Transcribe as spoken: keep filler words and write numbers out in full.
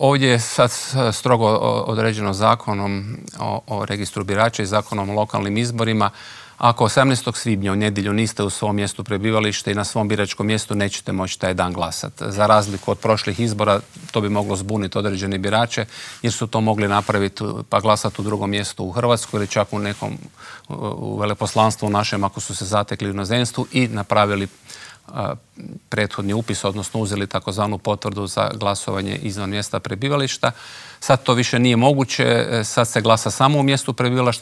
ovdje je sad strogo određeno zakonom o, o registru birača i zakonom o lokalnim izborima. Ako osamnaestog svibnja u nedjelju niste u svom mjestu prebivalište i na svom biračkom mjestu, nećete moći taj dan glasati. Za razliku od prošlih izbora, to bi moglo zbuniti određene birače, jer su to mogli napraviti pa glasati u drugom mjestu u Hrvatskoj ili čak u nekom u veleposlanstvu našem ako su se zatekli u inozemstvu i napravili a, prethodni upis, odnosno uzeli takozvanu potvrdu za glasovanje izvan mjesta prebivališta. Sad to više nije moguće, sad se glasa samo u mjestu prebivališta.